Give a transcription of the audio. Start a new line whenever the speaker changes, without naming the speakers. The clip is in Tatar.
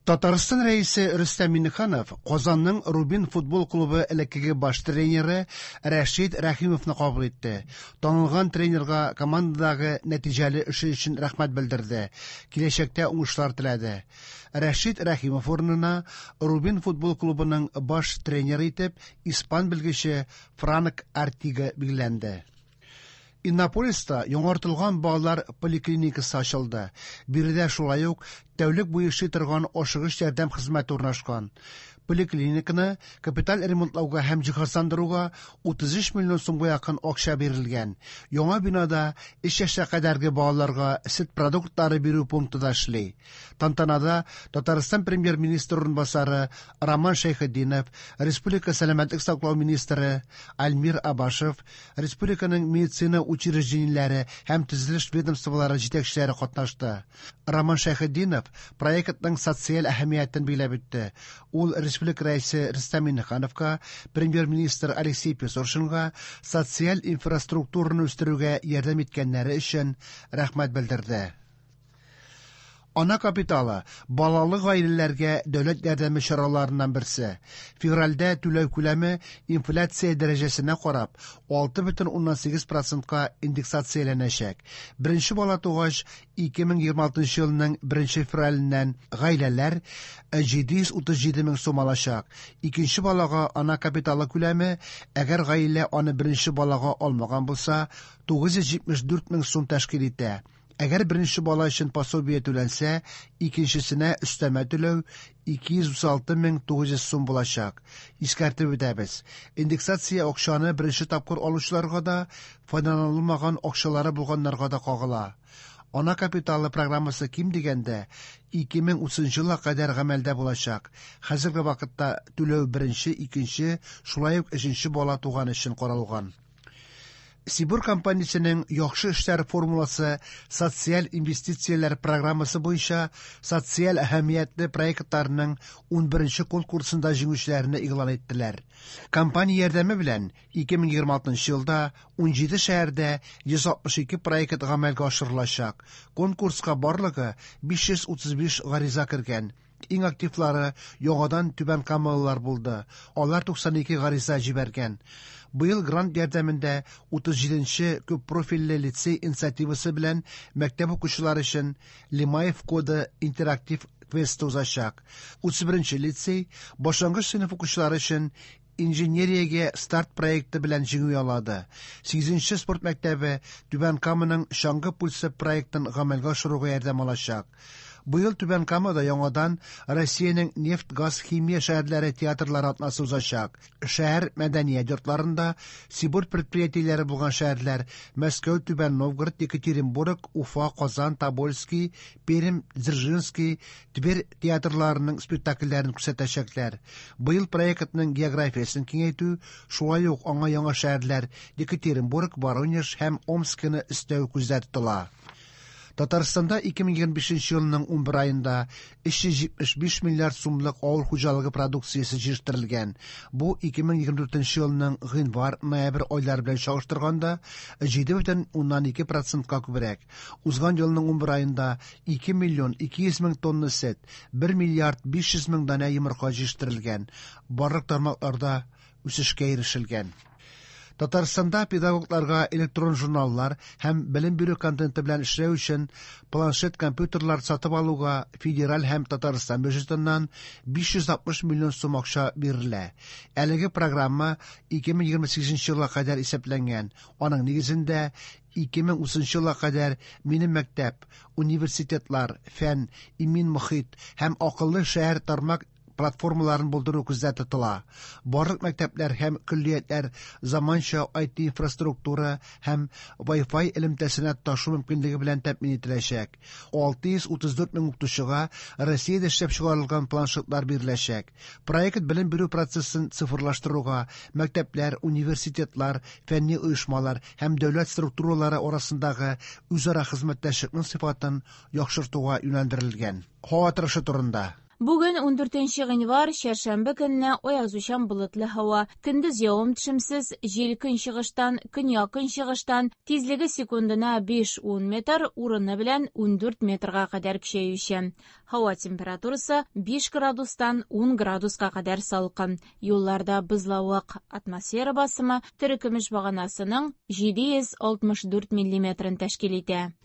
Татарстан Рәисе Рөстәм Миңнеханов Казанның Рубин футбол клубы элеккеге баш тренеры Рәшит Рәхимовны кабул итте. Танылган тренерга командадагы нәтиҗәле эше өчен рәхмәт белдерде, киләчәктә уңышлар теләде. Рәшит Рәхимов урынына Рубин футбол клубының баш тренеры итеп испан белгече Франк Артига билгеләнде. Иннополиста яңартылган балалар поликлиникасы ачылды. Биредә шулай ук тәүлек буе эшли торган ашыгыч ярдәм хезмәте урнашкан. Поликлиниканы капиталь ремонтлауга һәм җиһазландыруга 33 миллион сумга якын акча бирелгән. Яңа бинада 3 яшькә кадәрге балаларга сөт продуктлары бирү пункты да эшли. Тантанада Татарстан премьер-министры урынбасары Роман Шәйхетдинов, республика сәламәтлек саклау министры Альмир Абашев, республиканың медицина учреждениеләре һәм төзелеш ведомстволары җитәкчеләре катнашты. Роман Шәйхетдинов проектның социаль әһәмиятен билгеләп үтте. Ул республика Рәисе Рөстәм Миңнехановка, премьер-министр Алексей Песошинга социаль инфраструктураны үстерүгә ярдәм иткәннәре өчен рәхмәт белдерде. Ана капиталы балалы гаиләләргә дәүләт ярдәме чараларыннан берсе. Февральдә түләү күләме инфляция дәрәҗәсенә карап 6,8 процентка индексацияләнәчәк. Беренче бала тугач 2026 елның 1 февраленнән гаиләләр 737 мең сум алачак. Икенче балага ана капиталы күләме, әгәр гаилә аны беренче балага алмаган булса, 974 мең сум тәшкил итә. Әгәр беренче бала өчен пособие түләнсә, икенчесенә өстәмә түләү 236 мең 900 сум булачак. Искәртеп үтәбез. Индексация акчаны беренче тапкыр алучыларга да, файдаланылмаган акчалары булганнарга да кагыла. Ана капиталы программасы ким дигәндә 2030 елга кадәр гамәлдә булачак. Хәзерге вакытта түләү беренче, икенче, шулай ук өченче бала туган өчен каралган. Сибур компаниясенең яхшы эшләр формуласы социаль инвестицияләр программасы буенча социаль әһәмиятле проектларның 11 конкурсында җиңүчеләрне игълан иттеләр. Компания ярдәме белән 2026 елда 17 шәһәрдә 162 проект гамәлгә ашырылачак. Конкурска барлыгы 535 гариза кергән. Иң активлары яңадан түбәнкамалылар булды. Алар 92 гариза җибәргән. Быел грант ярдәмендә 37нче күппрофильле лицей инициативасы белән мәктәп укучылары өчен Лимаев коды интерактив квесты узачак. 31нче лицей башлангыч сыйныф укучылары өчен Инженериягә старт проекты белән җиңү яулады. 8нче спорт мәктәбе Түбән Каманың Чаңгы пульсы проектын гамәлгә ашыруга ярдәм алачак. Быел Түбән Камада яңадан Россиянең нефть-газ-химия шәһәрләре театрлары атнасы узачак. Шәһәр мәдәният йортларында Сибур предприятиеләре булган шәһәрләр Мәскәү, Түбән Новгород, Екатеринбург, Уфа, Казан, Тобольский, Пермь, Дзержинский, Тверь театрларының спектакльләрен күрсәтәчәкләр. Быел проектның географиясен киңәйтү, шулай ук аңа яңа шәһәрләр Екатеринбург, Воронеж һәм Омскины өстәү күздә тотыла. Татарстанда 2025 елның 11 аенда 375 миллиард сумлык авыл хуҗалыгы продукциясе җитештерелгән. Бу 2024 елның гыйнвар-ноябрь айлары белән чагыштырганда 7,2 процентка күбрәк. Узган елның 11 аенда 2 миллион 200 мең тонна сөт, 1 миллиард 500 мең данә йомырка җитештерелгән. Барлык тармакларда үсешкә ирешелгән. Татарстанда педагогларга электрон журналлар һәм белем бирү контенты белән эшләү өчен планшет компьютерлар сатып алуга федераль һәм Татарстан бюджетыннан 560 миллион сум акча бирелә. Әлеге программа 2028 елга кадәр исәпләнгән. Аның нигезендә 2030 елга кадәр Минем мәктәп, университетлар, фән, имин мохит һәм акыллы шәһәр тармак платформаларын булдыру күздә тотыла. Барлык мәктәпләр һәм көллиятләр заманча IT-инфраструктура һәм Wi-Fi элемтәсенә тоташу мөмкинлеге белән тәэмин ителәчәк. 634 мең укытучыга Россиядә эшләп чыгарылган планшетлар биреләчәк. Проект белем бирү процессын цифрлаштыруга, мәктәпләр, университетлар, фәнни оешмалар һәм дәүләт структуралары арасындагы үзара хезмәттәшлекнең сыйфатын яхшыртуга юнәлдерелгән. Һава торышы турында.
Бүген 14 гыйнвар, чәршәмбе көнне аязучан болытлы һава. Көндез явым-төшемсез, җил көнчыгыштан, көньяк-көнчыгыштан, тизлеге секундына 5-10 метр, урыны белән 14 метрга кадәр көчәючән. Һава температурасы 5 градустан 10 градуска кадәр салкын. Юлларда бозлавык, атмосфера басымы терекөмеш баганасының 764 миллиметрын тәшкил итә.